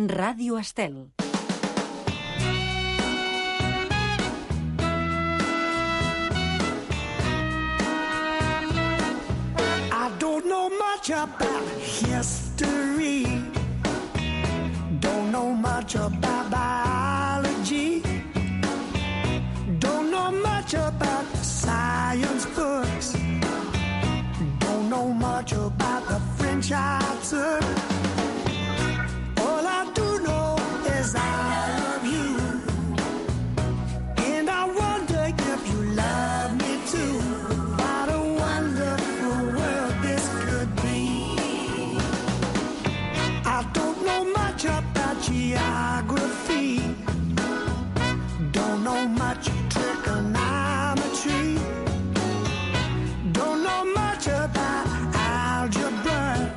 Ràdio Estel. I don't know much about history. Don't know much about biology. Don't know much about science books. Don't know much about the French I took. I love you, and I wonder if you love me too. What a wonderful world this could be. I don't know much about geography. Don't know much trigonometry. Don't know much about algebra.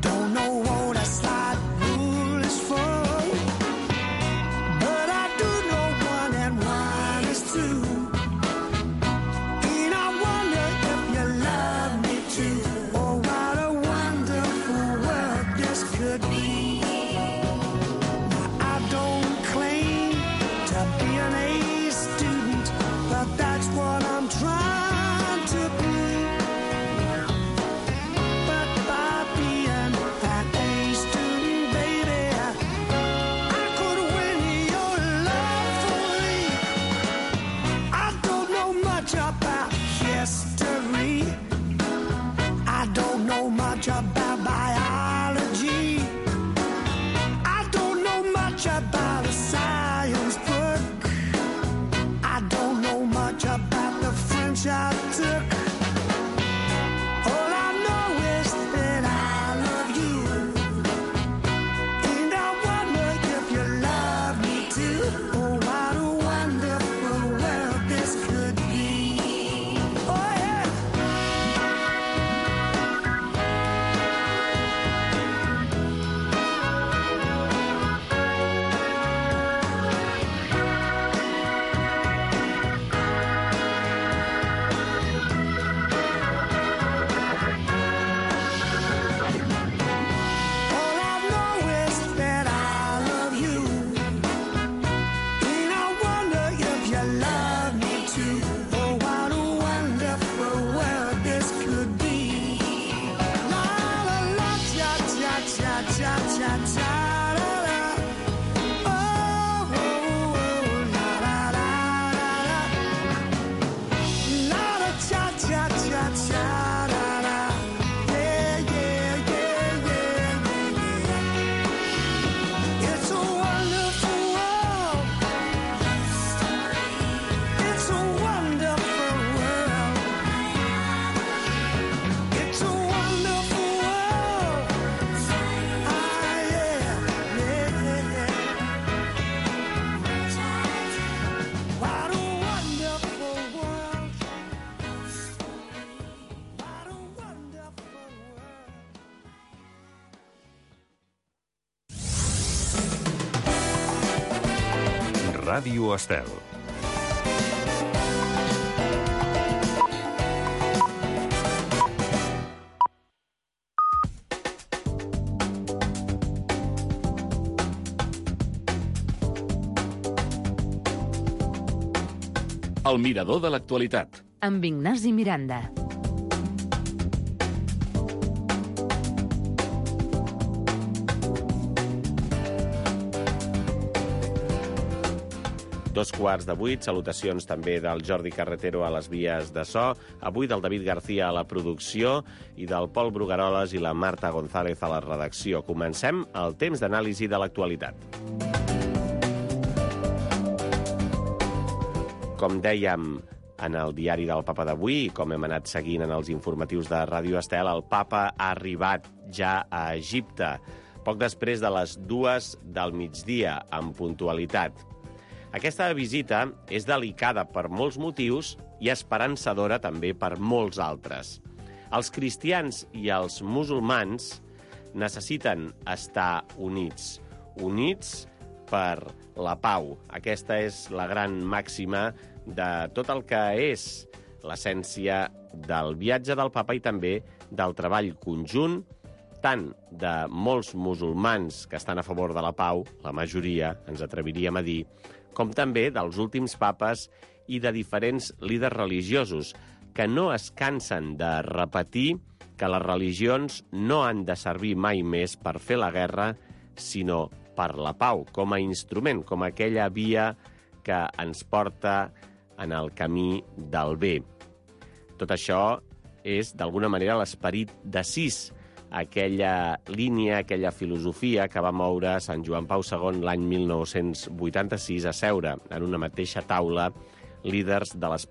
Don't know what a slide rule is for. About biology, I don't know much about a science book. I don't know much about the French I took. All I know is that I love you, and I wonder if you love me too. Oh, what a wonderful world this could be. Oh yeah. Ràdio Estel. El mirador de l'actualitat. Amb Ignasi Miranda. Dos quarts de 8, salutacions també del Jordi Carretero a les vies de so, avui del David García a la producció i del Pol Brugaroles i la Marta González a la redacció. Comencem el temps d'anàlisi de l'actualitat. Com dèiem en el diari del Papa d'avui, i com hem anat seguint en els informatius de Ràdio Estel, el Papa ha arribat ja a Egipte, poc després de les 2 del migdia, amb puntualitat. Aquesta visita és delicada per molts motius i esperançadora també per molts altres. Els cristians i els musulmans necessiten estar units. Units per la pau. Aquesta és la gran màxima de tot el que és l'essència del viatge del papa i també del treball conjunt, tant de molts musulmans que estan a favor de la pau, la majoria, ens atreviríem a dir, com també dels últims papes i de diferents líders religiosos, que no es cansen de repetir que les religions no han de servir mai més per fer la guerra, sinó per la pau, com a instrument, com aquella via que ens porta en el camí del bé. Tot això és, d'alguna manera, l'esperit d'Assís, aquella línia, aquella filosofia que va moure Sant Joan Pau II l'any 1986 a seure en una mateixa taula líders de les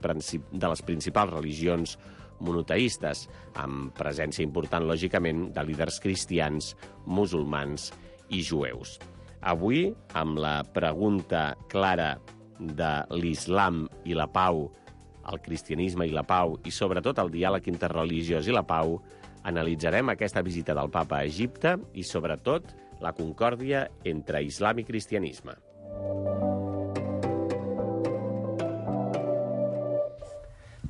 principals religions monoteistes, amb presència important, lògicament, de líders cristians, musulmans i jueus. Avui, amb la pregunta clara de l'islam i la pau, el cristianisme i la pau, i sobretot el diàleg interreligiós i la pau, analitzarem aquesta visita del papa a Egipte i, sobretot, la concòrdia entre islam i cristianisme.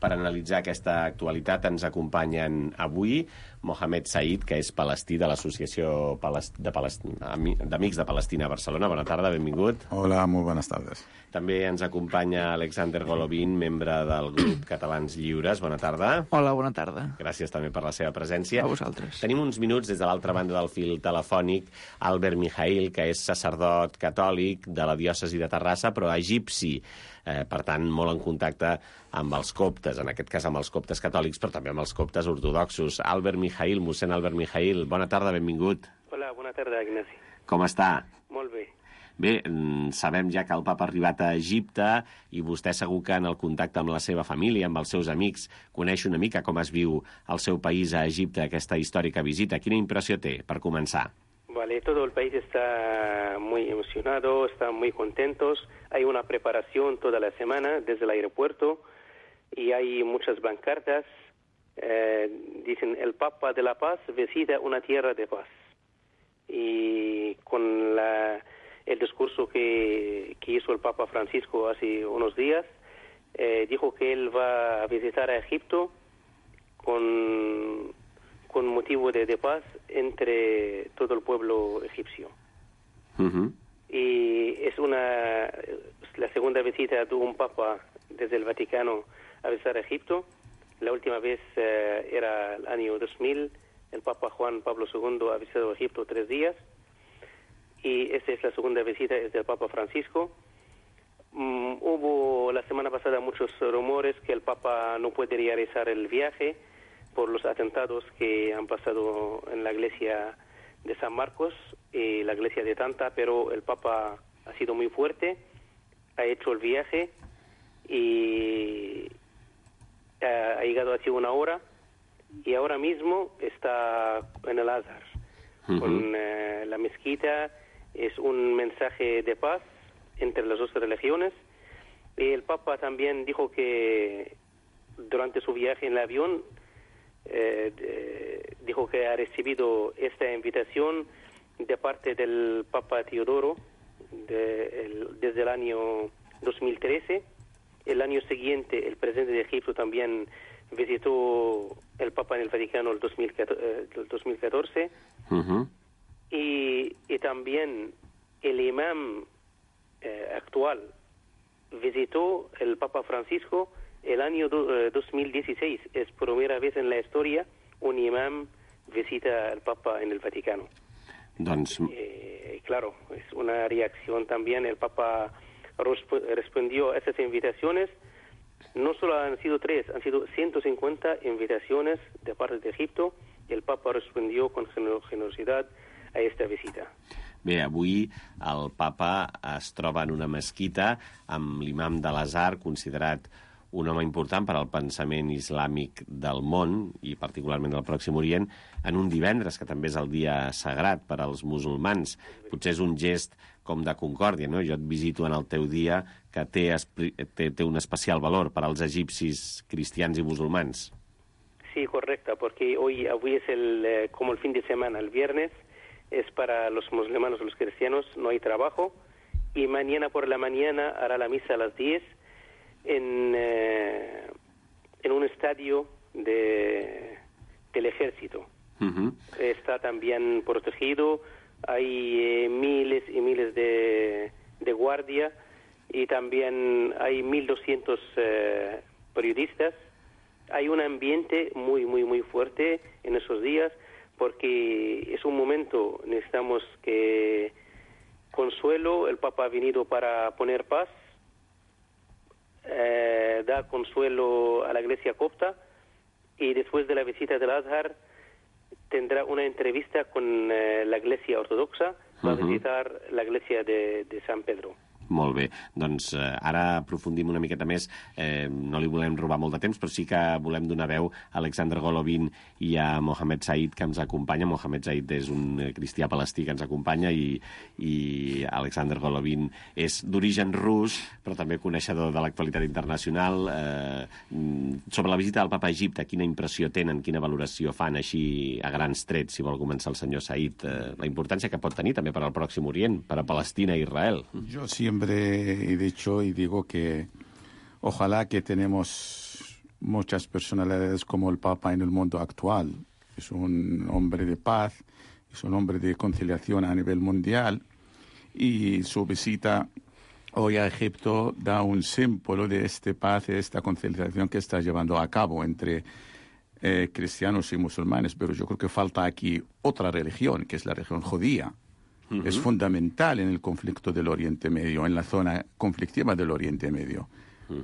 Per analitzar aquesta actualitat ens acompanyen avui Mohamed Said, que és palestí de l'Associació d'Amics de Palestina a Barcelona. Bona tarda, benvingut. Hola, muy buenas tardes. També ens acompanya Alexander Golovin, membre del grup Catalans Lliures. Bona tarda. Hola, bona tarda. Gràcies també per la seva presència. A vosaltres. Tenim uns minuts des de l'altra banda del fil telefònic Albert Mijail, que és sacerdot catòlic de la diòcesi de Terrassa, però egipci. Per tant, molt en contacte amb els coptes, en aquest cas amb els coptes catòlics, però també amb els coptes ortodoxos. Albert Mijail, mossèn Albert Mijail, bona tarda, benvingut. Hola, bona tarda, Ignasi. Com està? Molt bé. Bé, sabem ja que el papa ha arribat a Egipte i vostè segur que en el contacte amb la seva família, amb els seus amics, coneix una mica com es viu al seu país a Egipte, aquesta històrica visita. Quina impressió té, per començar? Vale, todo el país está muy emocionado, están muy contentos. Hay una preparación toda la semana desde el aeropuerto y hay muchas pancartas. Dicen, el Papa de la Paz visita una tierra de paz. Y con el discurso que hizo el Papa Francisco hace unos días, dijo que él va a visitar a Egipto con motivo de paz entre todo el pueblo egipcio. Uh-huh. Y es la segunda visita de un papa desde el Vaticano a visitar Egipto. La última vez era el año 2000, el Papa Juan Pablo II ha visitado Egipto 3 días, y esta es la segunda visita, es del Papa Francisco. Hubo la semana pasada muchos rumores que el Papa no puede realizar el viaje por los atentados que han pasado en la iglesia de San Marcos y la iglesia de Tanta, pero el Papa ha sido muy fuerte, ha hecho el viaje y ha llegado hace una hora y ahora mismo está en el Azhar, con la mezquita. Es un mensaje de paz entre las dos religiones. Y el Papa también dijo que durante su viaje en el avión dijo que ha recibido esta invitación de parte del Papa Teodoro desde el año 2013. El año siguiente el presidente de Egipto también visitó el Papa en el Vaticano el 2014. Uh-huh. Y también el imam actual visitó el Papa Francisco el año 2016. Es por primera vez en la historia un imam visita al Papa en el Vaticano. Doncs... Claro, es una reacción también. El Papa respondió a esas invitaciones. No solo han sido 3, han sido 150 invitaciones de parte de Egipto. Y el Papa respondió con generosidad a esta visita. Bé, avui el papa es troba en una mesquita amb l'imam de l'Azhar, considerat un home important per al pensament islàmic del món i particularment del Pròxim Orient, en un divendres, que també és el dia sagrat per als musulmans. Potser és un gest com de concòrdia, no? Jo et visito en el teu dia, que té un especial valor per als egipcis cristians i musulmans. Sí, correcta, porque hoy es como el fin de semana, el viernes es para los musulmanes, los cristianos, no hay trabajo, y mañana por la mañana hará la misa a las 10 en un estadio del ejército. Uh-huh. Está también protegido, hay miles y miles de guardia, y también hay 1.200 periodistas. Hay un ambiente muy, muy, muy fuerte en esos días, porque es un momento, necesitamos que consuelo, el Papa ha venido para poner paz, da consuelo a la iglesia copta, y después de la visita del Azhar tendrá una entrevista con la iglesia ortodoxa, va a visitar la iglesia de San Pedro. Molt bé, doncs ara aprofundim una miqueta més, no li volem robar molt de temps, però sí que volem donar veu a Alexander Golovin i a Mohamed Said, que ens acompanya. Mohamed Said és un cristià palestí que ens acompanya, i Alexander Golovin és d'origen rus, però també coneixedor de l'actualitat internacional. Sobre la visita del Papa a Egipte, quina impressió tenen, quina valoració fan, així a grans trets, si vol començar el senyor Said, la importància que pot tenir també per al Pròxim Orient, per a Palestina i Israel? Jo siempre he dicho y digo que ojalá que tenemos muchas personalidades como el Papa en el mundo actual. Es un hombre de paz, es un hombre de conciliación a nivel mundial, y su visita hoy a Egipto da un símbolo de esta paz y de esta conciliación que está llevando a cabo entre cristianos y musulmanes. Pero yo creo que falta aquí otra religión, que es la religión judía. Es fundamental en el conflicto del Oriente Medio, en la zona conflictiva del Oriente Medio.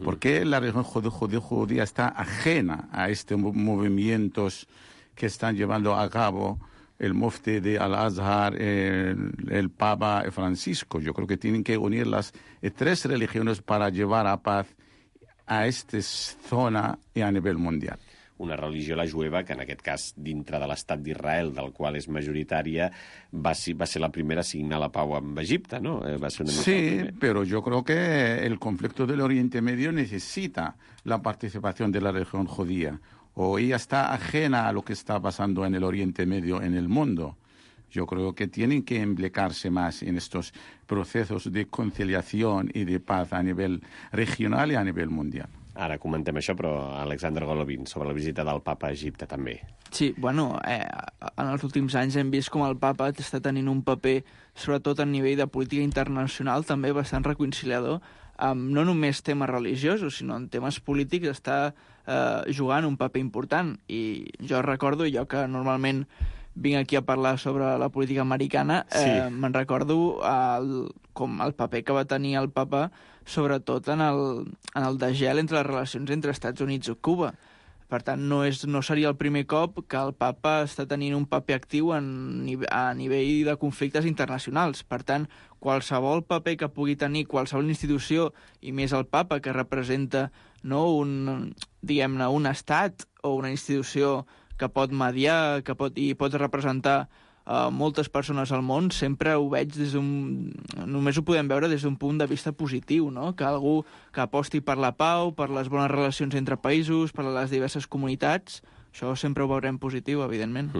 Porque la religión judía está ajena a estos movimientos que están llevando a cabo el mufti de Al-Azhar, el Papa Francisco. Yo creo que tienen que unir las tres religiones para llevar a paz a esta zona y a nivel mundial. Una religió, la jueva, que en aquest cas, dintre de l'estat d'Israel, del qual és majoritària, va ser la primera a signar la pau amb Egipte, ¿no? Va ser una mica sí, pero yo creo que el conflicto del Oriente Medio necesita la participación de la religión judía. O ella está ajena a lo que está pasando en el Oriente Medio, en el mundo. Yo creo que tienen que implicarse más en estos procesos de conciliación y de paz a nivel regional y a nivel mundial. Ara comentem això, però Alexander Golovin, sobre la visita del Papa a Egipte, també. Sí, bueno, en els últims anys hem vist com el Papa està tenint un paper, sobretot a nivell de política internacional, també bastant reconciliador, no només temes religiosos, sinó en temes polítics està jugant un paper important. I jo recordo, jo que normalment vinc aquí a parlar sobre la política americana, me'n recordo com el paper que va tenir el Papa, sobretot en el degel entre les relacions entre Estats Units i Cuba. Per tant, no seria el primer cop que el Papa està tenint un paper actiu a nivell de conflictes internacionals. Per tant, qualsevol paper que pugui tenir qualsevol institució, i més el Papa, que representa un estat o una institució que pot mediar, i pot representar moltes persones al món, sempre ho veig només ho podem veure des d'un punt de vista positiu, no? Que algú que aposti per la pau, per les bones relacions entre països, per les diverses comunitats, això sempre ho veurem positiu, evidentment.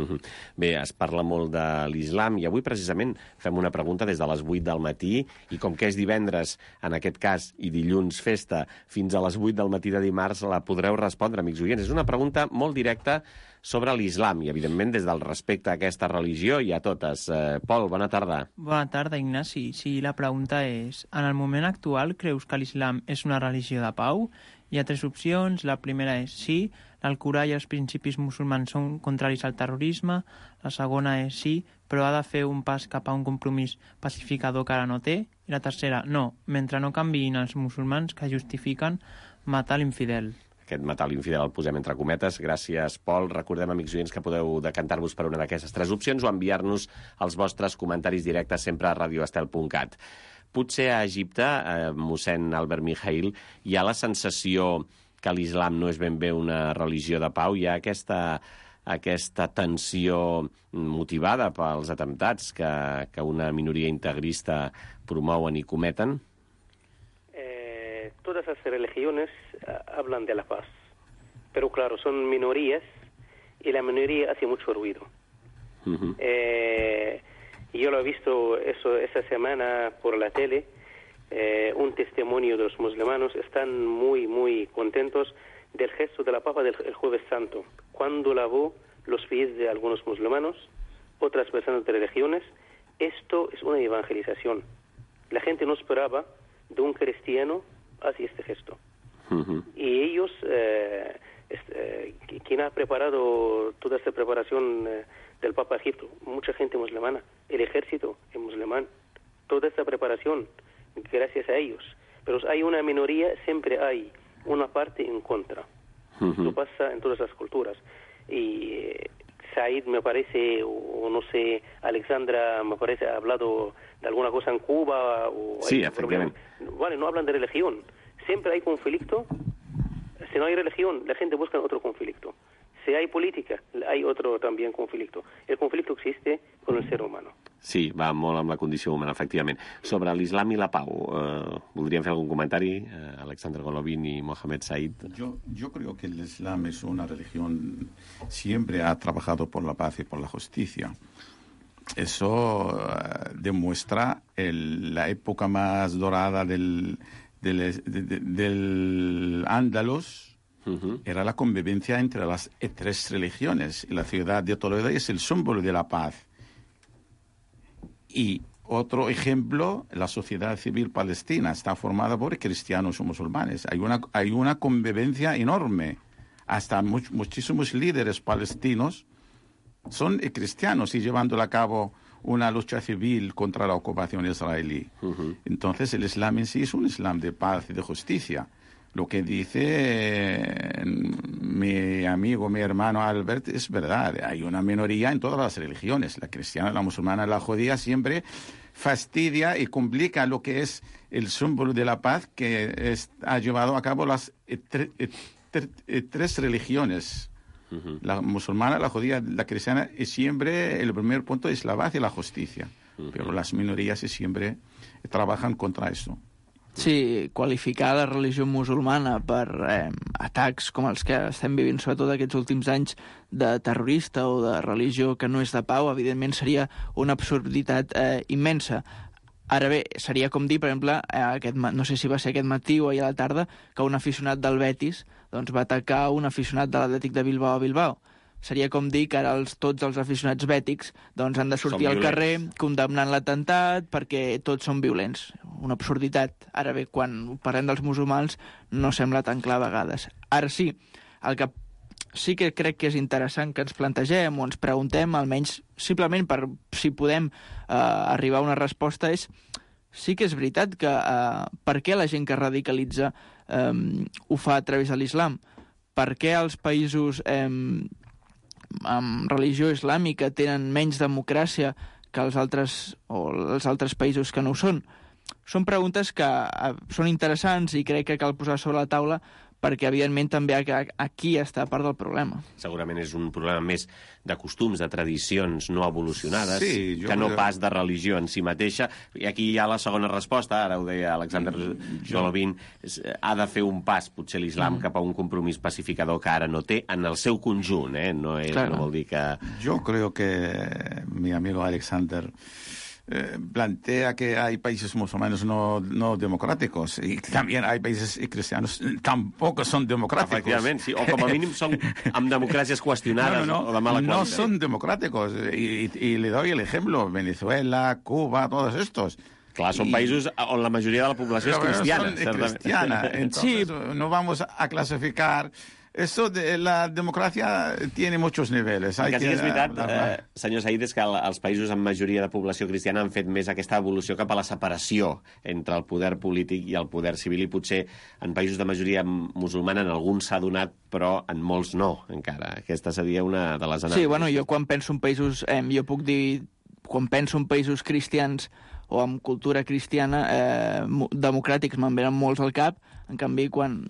Bé, es parla molt de l'islam, i avui precisament fem una pregunta des de les 8 del matí, i com que és divendres, en aquest cas, i dilluns festa, fins a les 8 del matí de dimarts la podreu respondre, amics oients. És una pregunta molt directa sobre l'islam, i evidentment des del respecte a aquesta religió i a totes. Pol, bona tarda. Bona tarda, Ignasi. Sí, la pregunta és, en el moment actual creus que l'islam és una religió de pau? Hi ha tres opcions. La primera és sí, l'Alcorà i els principis musulmans són contraris al terrorisme. La segona és sí, però ha de fer un pas cap a un compromís pacificador que ara no té. I la tercera, no, mentre no canviïn els musulmans que justifiquen matar l'infidel. Aquest matar l'infidel el posem entre cometes. Gràcies, Pol. Recordem, amics oients, que podeu decantar-vos per una d'aquestes tres opcions o enviar-nos els vostres comentaris directes sempre a radioestel.cat. Potser a Egipte, mossèn Albert Mijail, hi ha la sensació que l'islam no és ben bé una religió de pau. Hi ha aquesta tensió motivada pels atemptats que una minoria integrista promouen i cometen? Todas las religiones hablan de la paz, pero claro, son minorías y la minoría hace mucho ruido. Yo lo he visto esa semana por la tele, un testimonio de los musulmanes. Están muy, muy contentos del gesto de la Papa del Jueves Santo, cuando lavó los pies de algunos musulmanes, otras personas de religiones. Esto es una evangelización. La gente no esperaba de un cristiano hacer este gesto. Y ellos, quien ha preparado toda esta preparación del Papa Egipto, mucha gente musulmana, el ejército es musulmán, toda esta preparación, gracias a ellos. Pero hay una minoría, siempre hay una parte en contra. Lo pasa en todas las culturas. Y Said, me parece, o no sé, Alexandra, me parece, ha hablado de alguna cosa en Cuba. Sí, efectivamente. Vale, no hablan de religión. Siempre hay conflicto. Si no hay religión, la gente busca otro conflicto. Si hay política, hay otro también conflicto. El conflicto existe con el ser humano. Sí, va molt amb la condició humana, efectivament. Sobre l'islam i la pau, voldríem fer algun comentari, Alexander Golovin y Mohamed Said? Yo creo que el Islam es una religión, siempre ha trabajado por la paz y por la justicia. Eso demuestra la época más dorada del Andalus. Era la convivencia entre las tres religiones. Y la ciudad de Toledo es el símbolo de la paz. Y otro ejemplo, la sociedad civil palestina está formada por cristianos o musulmanes. Hay una convivencia enorme. Hasta muchísimos líderes palestinos son cristianos y llevando a cabo una lucha civil contra la ocupación israelí. Entonces el Islam en sí es un Islam de paz y de justicia. Lo que dice mi amigo, mi hermano Albert, es verdad. Hay una minoría en todas las religiones. La cristiana, la musulmana, la judía siempre fastidia y complica lo que es el símbolo de la paz que ha llevado a cabo las tres religiones. La musulmana, la judía, la cristiana, y siempre el primer punto es la paz y la justicia. Pero las minorías siempre trabajan contra eso. Sí, qualificar la religió musulmana per atacs com els que estem vivint sobretot aquests últims anys de terrorista o de religió que no és de pau, evidentment seria una absurditat immensa. Ara bé, seria com dir, per exemple, no sé si va ser aquest matí o ahir a la tarda, que un aficionat del Betis va atacar un aficionat de l'Atlètic de Bilbao a Bilbao. Seria com dir que ara tots els aficionats bètics han de sortir al carrer condemnant l'atemptat perquè tots són violents. Una absurditat. Ara bé, quan parlem dels musulmans no sembla tan clar a vegades. Ara sí, el que sí que crec que és interessant que ens plantegem o ens preguntem, almenys simplement per si podem arribar a una resposta, és sí que és veritat que per què la gent que radicalitza ho fa a través de l'islam? Per què els països amb religió islàmica tenen menys democràcia que els altres països que no ho són? Són preguntes que són interessants i crec que cal posar sobre la taula perquè, evidentment, també aquí està part del problema. Segurament és un problema més de costums, de tradicions no evolucionades, sí, que no pas de religió en si mateixa. I aquí hi ha la segona resposta, ara ho deia Alexander Golovin, ha de fer un pas, potser l'islam, cap a un compromís pacificador que ara no té en el seu conjunt, no vol dir que... Yo creo que mi amigo Alexander plantea que hay países musulmanes no democráticos y también hay países cristianos tampoco son democráticos. Efectivament, sí, o com a mínim són amb democràcies qüestionades o de mala qualitat. No son democráticos y le doy el ejemplo, Venezuela, Cuba, todos estos. Clar, són països on la majoria de la població és cristiana. Entonces, no vamos a clasificar. Eso de la democràcia tiene muchos niveles. El que sí que és veritat, senyor Said, és que els països amb majoria de població cristiana han fet més aquesta evolució cap a la separació entre el poder polític i el poder civil, i potser en països de majoria musulmana en alguns s'ha donat, però en molts no, encara. Aquesta seria una de les anàlisis. Sí, bueno, jo quan penso en països, jo puc dir, quan penso en països cristians o amb cultura cristiana, democràtics me'n venen molts al cap, en canvi, quan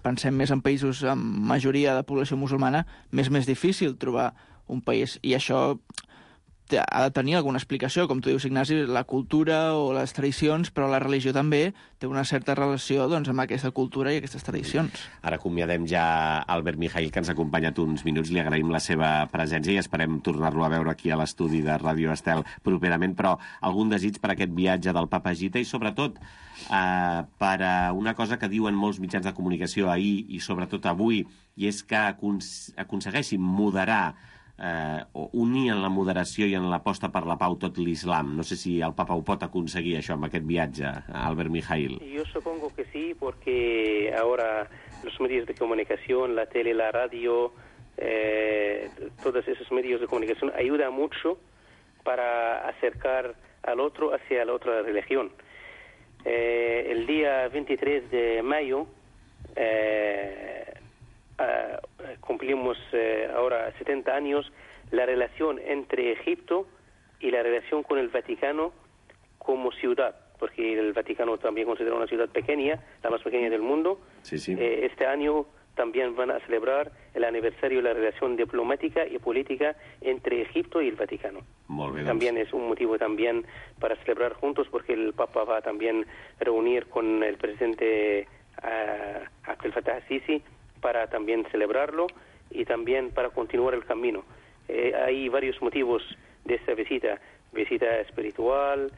pensem més en països amb majoria de població musulmana, més difícil trobar un país. I això ha de tenir alguna explicació, com tu dius, Ignasi, la cultura o les tradicions, però la religió també té una certa relació doncs, amb aquesta cultura i aquestes tradicions. Ara acomiadem ja Albert Mijail, que ens ha acompanyat uns minuts. Li agraïm la seva presència i esperem tornar-lo a veure aquí a l'estudi de Ràdio Estel properament, però algun desig per aquest viatge del Papa Gita i sobretot per una cosa que diuen molts mitjans de comunicació ahir i sobretot avui, i és que aconsegueixin moderar o unir en la moderació i en l'aposta per la pau tot l'islam. No sé si el Papa ho pot aconseguir, això, amb aquest viatge, Albert Mijail. Yo supongo que sí, porque ahora los medios de comunicación, la tele, la radio, todos esos medios de comunicación ayudan mucho para acercar al otro hacia la otra religión. El día 23 de mayo cumplimos ahora 70 años la relación entre Egipto y la relación con el Vaticano como ciudad, porque el Vaticano también considera una ciudad pequeña, la más pequeña del mundo. Sí, sí. Este año también van a celebrar el aniversario de la relación diplomática y política entre Egipto y el Vaticano. Molt bé, doncs. También es un motivo también para celebrar juntos, porque el Papa va a también reunir con el presidente Abdel Fattah al-Sisi para también celebrarlo y también para continuar el camino. Hay varios motivos de esta visita: visita espiritual,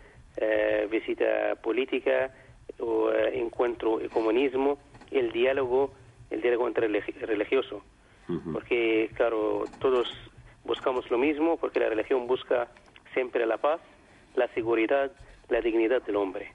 visita política, encuentro y comunismo, el diálogo interreligioso. Porque, claro, todos buscamos lo mismo, porque la religión busca siempre la paz, la seguridad, la dignidad del hombre.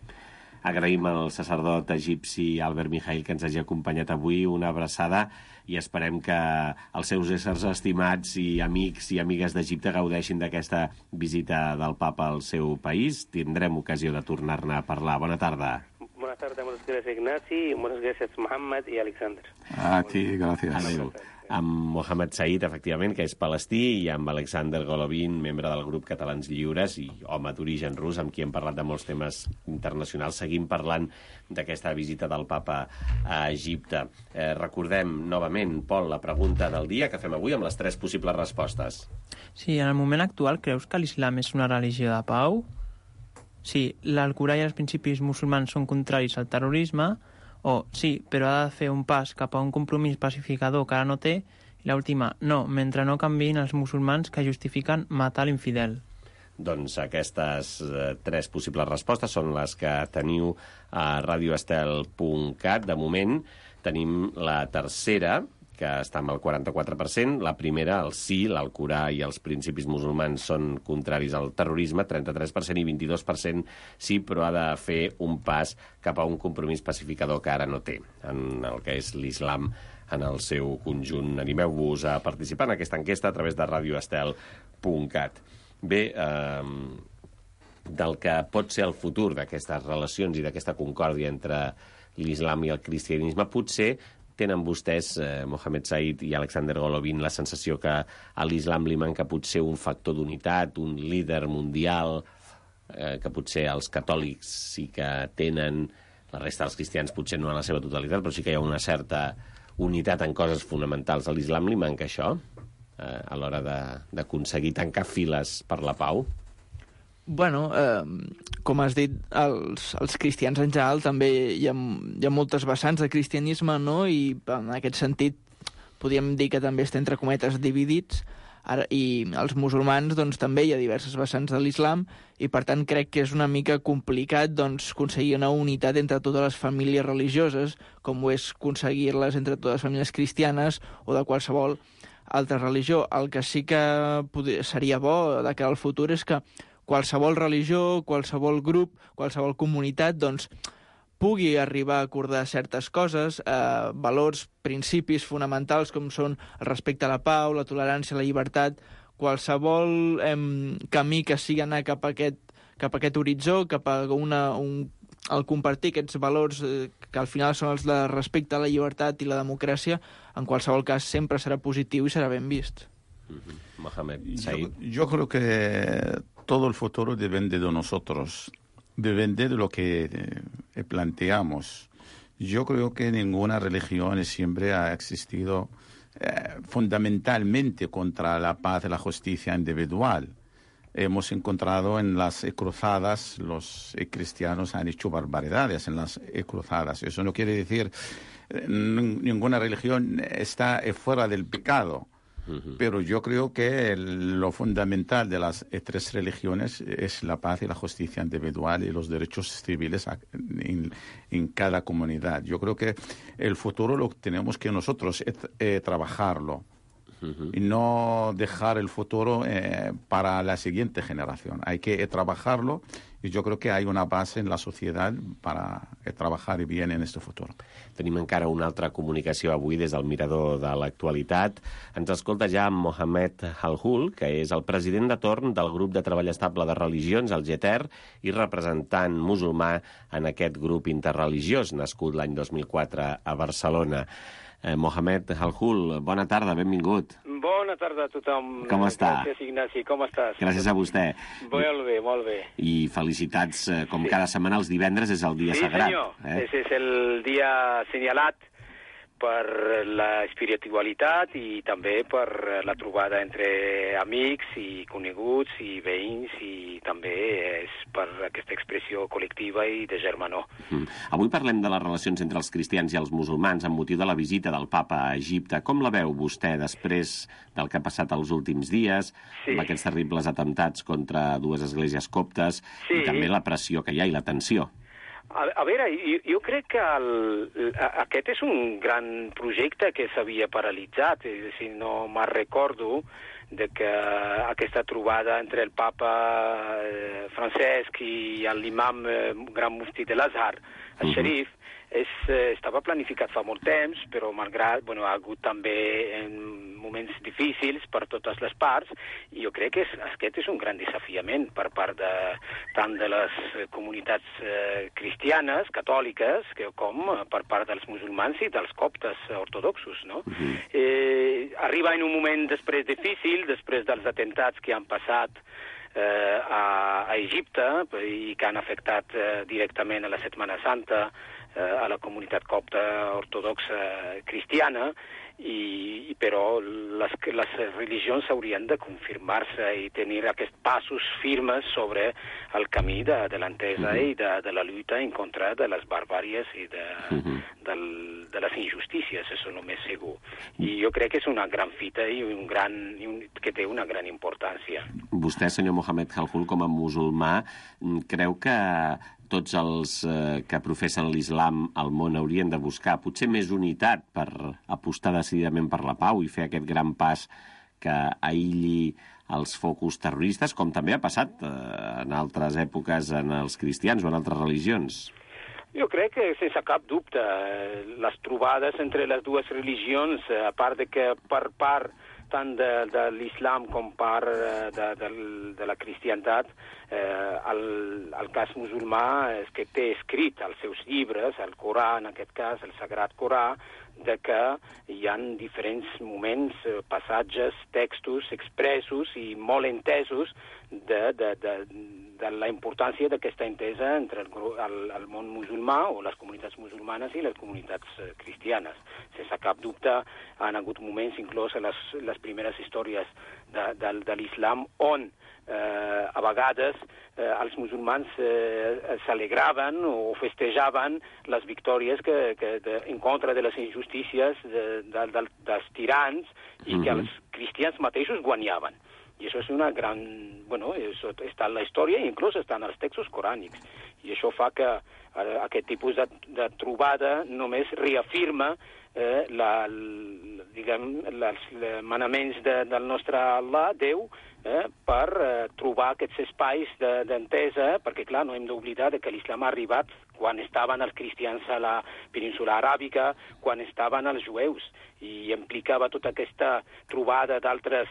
Agraïm al sacerdot egipci Albert Mijail que ens hagi acompanyat avui, una abraçada, i esperem que els seus éssers estimats i amics i amigues d'Egipte gaudeixin d'aquesta visita del Papa al seu país. Tindrem ocasió de tornar-ne a parlar. Bona tarda. Buenas tardes, muchas gracias Ignasi, muchas gracias Mohamed y Alexander. A ti, gracias. Adéu. Amb Mohamed Said, efectivament, que és palestí, i amb Alexander Golovin, membre del grup Catalans Lliures i home d'origen rus, amb qui hem parlat de molts temes internacionals. Seguim parlant d'aquesta visita del Papa a Egipte. Recordem novament, Pol, la pregunta del dia que fem avui amb les 3 possibles respostes. Sí, en el moment actual creus que l'islam és una religió de pau? Sí, l'Alcorà i els principis musulmans són contraris al terrorisme. O sí, però ha de fer un pas cap a un compromís pacificador que ara no té. I l'última, no, mentre no canviïn els musulmans que justifiquen matar l'infidel. Doncs aquestes 3 possibles respostes són les que teniu a radioestel.cat. De moment tenim la tercera, que està amb el 44%, la primera, el sí, l'Alcorà i els principis musulmans són contraris al terrorisme, 33%, i 22% sí, però ha de fer un pas cap a un compromís pacificador que ara no té, en el que és l'islam en el seu conjunt. Animeu-vos a participar en aquesta enquesta a través de radioestel.cat. Bé, del que pot ser el futur d'aquestes relacions i d'aquesta concòrdia entre l'islam i el cristianisme, potser tenen vostès, Mohamed Said i Alexander Golovin, la sensació que a l'islam li manca potser un factor d'unitat, un líder mundial, que potser els catòlics sí que tenen, la resta dels cristians potser no en la seva totalitat, però sí que hi ha una certa unitat en coses fonamentals. A l'islam li manca això a l'hora d'aconseguir tancar files per la pau? Bueno, com has dit, els cristians en general també hi ha moltes vessants de cristianisme, no? I en aquest sentit podríem dir que també està entre cometes dividits. I els musulmans doncs, també hi ha diverses vessants de l'islam i per tant crec que és una mica complicat doncs, aconseguir una unitat entre totes les famílies religioses, com ho és aconseguir-les entre totes les famílies cristianes o de qualsevol altra religió. El que sí que seria bo de cara al futur és que qualsevol religió, qualsevol grup, qualsevol comunitat, doncs, pugui arribar a acordar certes coses, valors, principis fonamentals com són el respecte a la pau, la tolerància, la llibertat, qualsevol camí que sigui anar cap a aquest horitzó, cap a el compartir aquests valors que al final són els de respecte a la llibertat i la democràcia, en qualsevol cas sempre serà positiu i serà ben vist. Mohamed Said. Yo creo que todo el futuro depende de nosotros, depende de lo que planteamos. Yo creo que ninguna religión siempre ha existido fundamentalmente contra la paz y la justicia individual. hemos encontrado en las cruzadas, los cristianos han hecho barbaridades en las cruzadas. Eso no quiere decir ninguna religión está fuera del pecado. Pero yo creo que lo fundamental de las tres religiones es la paz y la justicia individual y los derechos civiles en cada comunidad. Yo creo que el futuro lo tenemos que nosotros trabajarlo y no dejar el futuro para la siguiente generación. Hay que trabajarlo i jo crec que hi ha una base en la societat per treballar bien en este futuro. Tenim encara una altra comunicació avui des del Mirador de l'Actualitat. Ens escolta ja Mohamed Halhul, que és el president de torn del grup de treball estable de religions, el GETER, i representant musulmà en aquest grup interreligiós, nascut l'any 2004 a Barcelona. Mohamed Halhul, bona tarda, benvingut. Bona tarda a tothom. Com està? Gràcies, Ignasi, com estàs? Gràcies a vostè. Molt bé, molt bé. I felicitats, com cada setmana, els divendres és el dia sagrat. Sí, senyor. Ese és el dia assenyalat per la espiritualitat i també per la trobada entre amics i coneguts i veïns, i també és per aquesta expressió col·lectiva i de germanor. Avui parlem de les relacions entre els cristians i els musulmans amb motiu de la visita del papa a Egipte. Com la veu vostè després del que ha passat els últims dies, amb aquests terribles atemptats contra dues esglésies coptes i també la pressió que hi ha i la tensió? A veure, jo crec que aquest és un gran projecte que s'havia paralitzat. Si no me'n recordo de que aquesta trobada entre el papa Francesc i l'imam gran mufti de l'Azhar, el xerif, estava planificat fa molt temps, però malgrat ha hagut també moments difícils per totes les parts, i jo crec que aquest és un gran desafiament per part tant de les comunitats cristianes, catòliques, com per part dels musulmans i dels coptes ortodoxos, no? Arriba en un moment després difícil, després dels atemptats que han passat a Egipte i que han afectat directament a la Setmana Santa a la comunitat copta ortodoxa cristiana, però les religions haurien de confirmar-se i tenir aquests passos firmes sobre el camí de l'entesa i de la lluita en contra de les barbàries i de les injustícies, això només segur. I jo crec que és una gran fita i que té una gran importància. Vostè, senyor Mohamed Halhul, com a musulmà, creu que tots els que professen l'islam al món haurien de buscar potser més unitat per apostar decididament per la pau i fer aquest gran pas que aïlli els focus terroristes, com també ha passat en altres èpoques en els cristians o en altres religions? Jo crec que, sense cap dubte, les trobades entre les dues religions, a part de que per part tant de l'islam com part de la cristiantat, el cas musulmà és que té escrit als seus llibres, el Corà, en aquest cas, el Sagrat Corà, de que hi ha diferents moments, passatges, textos expressos i molt entesos de la importància d'aquesta entesa entre el món musulmà o les comunitats musulmanes i les comunitats cristianes. Sense cap dubte han hagut moments, inclús a les primeres històries de l'islam, on a vegades els musulmans s'alegraven o festejaven les victòries en contra de les injustícies dels tirans i que els cristians mateixos guanyaven. I això és una gran... això està en la història i inclús està en els textos corànics. I això fa que aquest tipus de trobada només reafirma els manaments del nostre Allah, Déu, per trobar aquests espais d'entesa, perquè, clar, no hem d'oblidar que l'islam ha arribat quan estaven els cristians a la península aràbica, quan estaven els jueus, i implicava tota aquesta trobada d'altres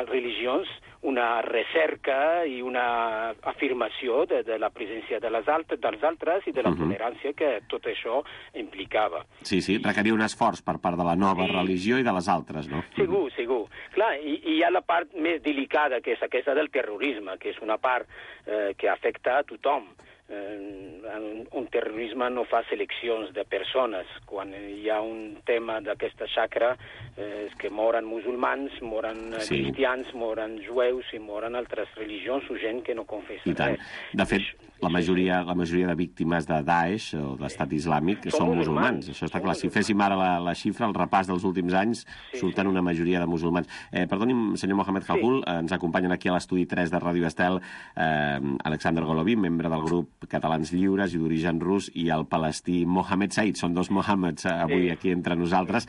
religions, una recerca i una afirmació de la presència dels altres i de la tolerància que tot això implicava. Sí, requeria un esforç per part de la nova religió i de les altres, no? Segur. Clar, i hi ha la part més delicada, que és aquesta del terrorisme, que és una part que afecta a tothom. un terrorisme no fa seleccions de persones. Quan hi ha un tema d'aquesta xacra és que moren musulmans, moren cristians, moren jueus i moren altres religions o gent que no confessa res. De fet, la majoria de víctimes de Daesh o d'Estat Islàmic són musulmans. Això està clar. Si féssim ara la xifra, el repàs dels últims anys, surten una majoria de musulmans. Perdoni'm, senyor Mohamed Khalkhul, ens acompanyen aquí a l'estudi 3 de Ràdio Estel Alexander Golovin, membre del grup Catalans Lliures i d'origen rus, i el palestí Mohamed Said. Són dos Mohameds avui aquí entre nosaltres.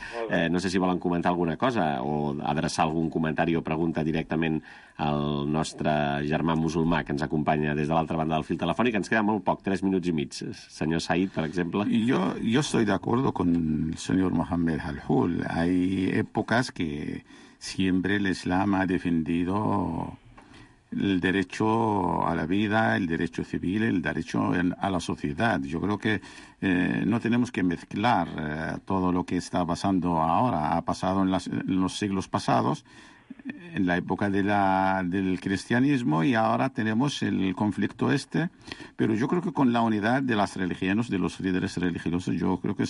No sé si volen comentar alguna cosa o adreçar algun comentari o pregunta directament al nostre germà musulmà que ens acompanya des de l'altra banda del fil telefònic. Ens queda molt poc, 3 minuts i mig. Senyor Said, per exemple. Yo estoy de acuerdo con el señor Mohamed Khalkhul. Hay épocas que siempre el Islam ha defendido el derecho a la vida, el derecho civil, el derecho a la sociedad. Yo creo que no tenemos que mezclar todo lo que está pasando ahora. Ha pasado en los siglos pasados, en la época del cristianismo, y ahora tenemos el conflicto pero yo creo que con la unidad de las religiones, de los líderes religiosos, yo creo que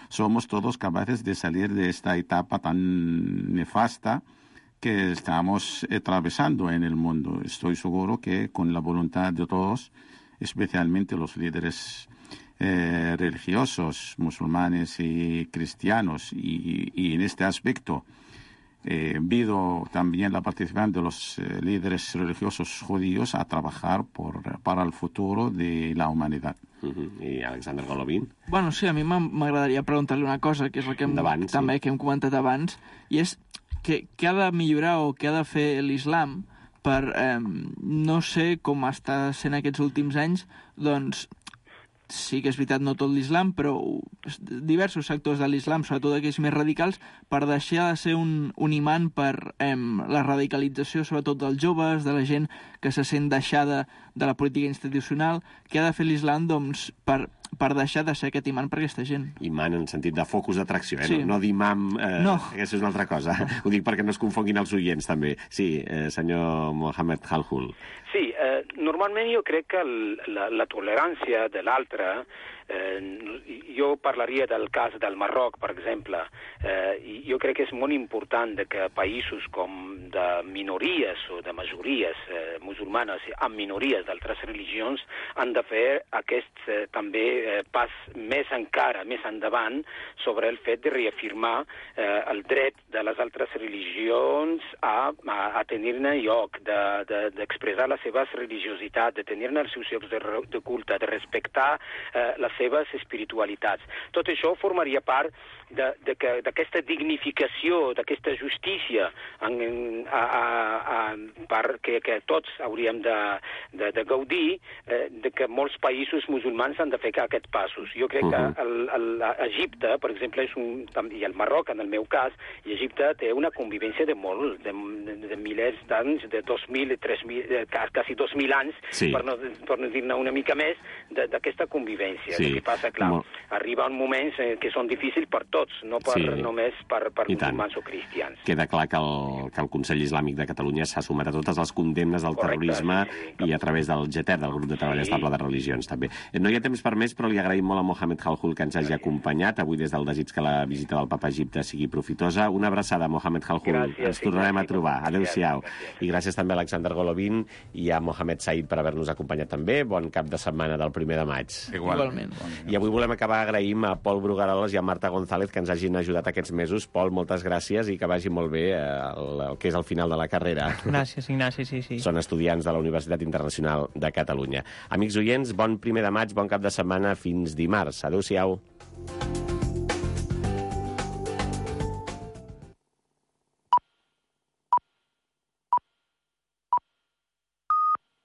somos todos capaces de salir de esta etapa tan nefasta que estamos atravesando en el mundo. Estoy seguro que con la voluntad de todos, especialmente los líderes religiosos, musulmanes y cristianos, y en este aspecto pido también la participación de los líderes religiosos judíos a trabajar para el futuro de la humanidad. I Alexander Golovin? Bueno, sí, a mi m'agradaria preguntar-li una cosa, que és la que hem comentat abans, i és què ha de millorar o què ha de fer l'islam per, no sé com està sent aquests últims anys, doncs sí que és veritat, no tot l'islam, però diversos sectors de l'islam, sobretot aquells més radicals, per deixar de ser un imant per la radicalització, sobretot dels joves, de la gent que se sent deixada de la política institucional. Què ha de fer l'islam, doncs, per deixar de ser aquest imant per aquesta gent? Imant en sentit de focus d'atracció, Sí. No d'imam, No. aquesta és una altra cosa. Ho dic perquè no es confonguin els oients, també. Sí, senyor Mohamed Khalkhul. Sí, normalment jo crec que la tolerància de l'altre, jo parlaria del cas del Marroc, per exemple, i jo crec que és molt important que països com de minories o de majories musulmanes amb minories d'altres religions han de fer aquest també pas més encara, més endavant, sobre el fet de reafirmar el dret de les altres religions a tenir-ne lloc, d'expressar la seva religiositat, de tenir-ne els seus llocs de culte, de respectar les seves espiritualitats. Tot això formaria part d'aquesta dignificació, d'aquesta justícia que tots hauríem de gaudir, de que molts països musulmans han de fer aquests passos. Jo crec que Egipte, per exemple, i el Marroc, en el meu cas, i Egipte té una convivència de milers d'anys, de 2.000, 3.000, quasi 2.000 anys, per no dir-ne una mica més, d'aquesta convivència. El que passa, clar, arriba un moments que són difícils per tots, no només per musulmans o cristians. Queda clar que el Consell Islàmic de Catalunya s'ha sumat a totes les condemnes del terrorisme i a través del GTER, del Grup de Treball Estable de Religions, també. No hi ha temps per més, però li agraïm molt a Mohamed Khalkhul que ens hagi acompanyat avui des del desig que la visita del Papa a Egipte sigui profitosa. Una abraçada, Mohamed Khalkhul. Ens tornarem a trobar. Adéu-siau. I gràcies també a Alexander Golovin i a Mohamed Said per haver-nos acompanyat també. Bon cap de setmana del 1 de maig. Igualment. I avui volem acabar agraïm a Pol Brugaroles i a Marta González que ens hagin ajudat aquests mesos. Pol, moltes gràcies i que vagi molt bé el que és el final de la carrera. Gràcies, Ignasi, sí. Són estudiants de la Universitat Internacional de Catalunya. Amics oients, bon 1 de maig, bon cap de setmana, fins dimarts. Adéu-siau.